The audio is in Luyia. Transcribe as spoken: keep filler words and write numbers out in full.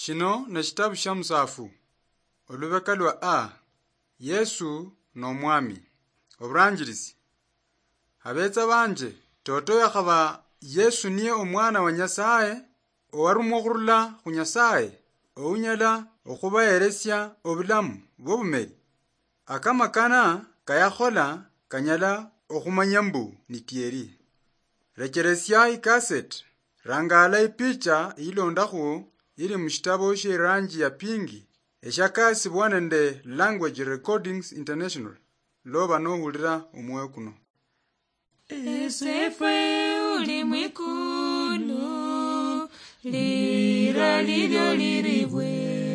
Shino ne shitabu sha Musaafu, olubeka lwa A. Yesu n'Omwami. Oburanjirisi. Abeetsa banje, toto yakhaba Yesu niye Omwana wa Nyasaye, owarumwa okhurula khu Nyasaye, ounyala okhubaheresia obulamu bw'obumeri. Akamakana kayakhola kanyala okhumanya mbu ni tieri. Recheresia ikaseti, rangaala ipicha iyilondakhu ili mushitabo shie ranji ya pingi, eshakasibwa nende Language Recordings International, loba nohulira omwoyo kuno. Esefwe uli mwikulu, lira lilyo liribwe.